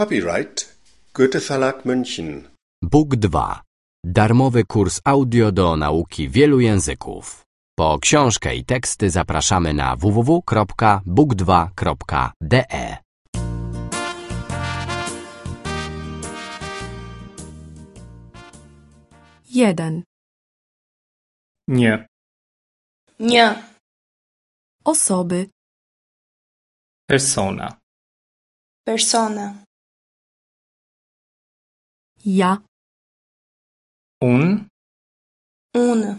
Copyright Goethe Verlag München. Book 2. Darmowy kurs audio do nauki wielu języków. Po książkę i teksty zapraszamy na www.book2.de. Jeden. Një, Një, Osoby. persona, persona, Ja. unë, unë,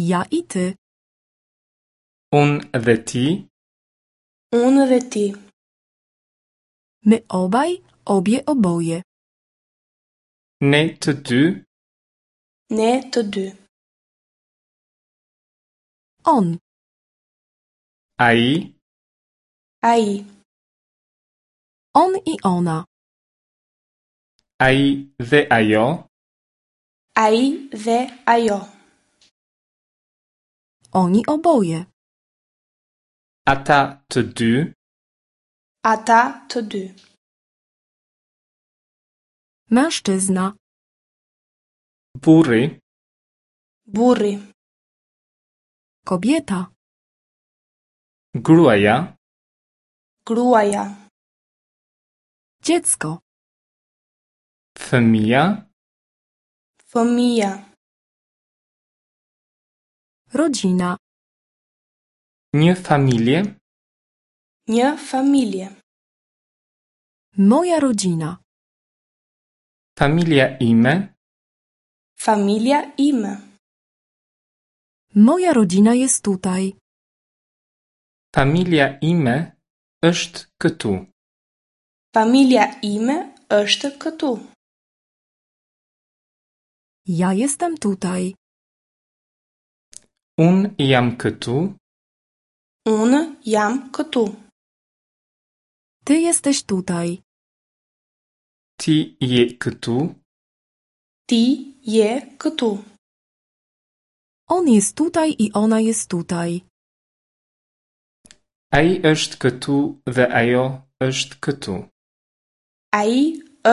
Ja i ty. unë dhe ti, unë dhe ti, My obaj, obie, oboje. ne të dy, ne të dy, On. ai, ai, On i ona. ai dhe ajo, ai dhe ajo, Oni oboje. ata të dy, ata të dy, Mężczyzna. burri, burri, Kobieta. gruaja, gruaja, Dziecko. fëmija, fëmija, Rodzina. një familje, një familje, Moja rodzina. familja ime, familja ime, Moja rodzina jest tutaj. familja ime është këtu. familja ime është këtu. Ja jestem tutaj. Unë jam këtu, Unë jam këtu. Ty jesteś tutaj. ti je këtu, Ti je këtu. On jest tutaj i ona jest tutaj. ai është këtu dhe ajo është këtu. Ai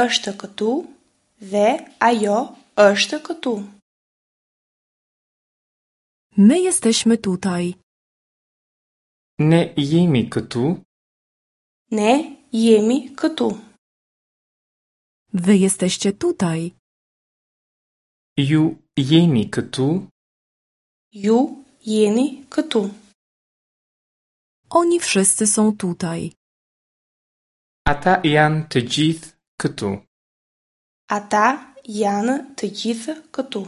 është këtu dhe ajo është këtu. My jesteśmy tutaj. Ne jemi këtu, Ne jemi këtu. Wy jesteście tutaj. ju jeni këtu, Ju jeni këtu. Oni wszyscy są tutaj. ata janë të gjithë këtu. Ata janë të gjithë këtu.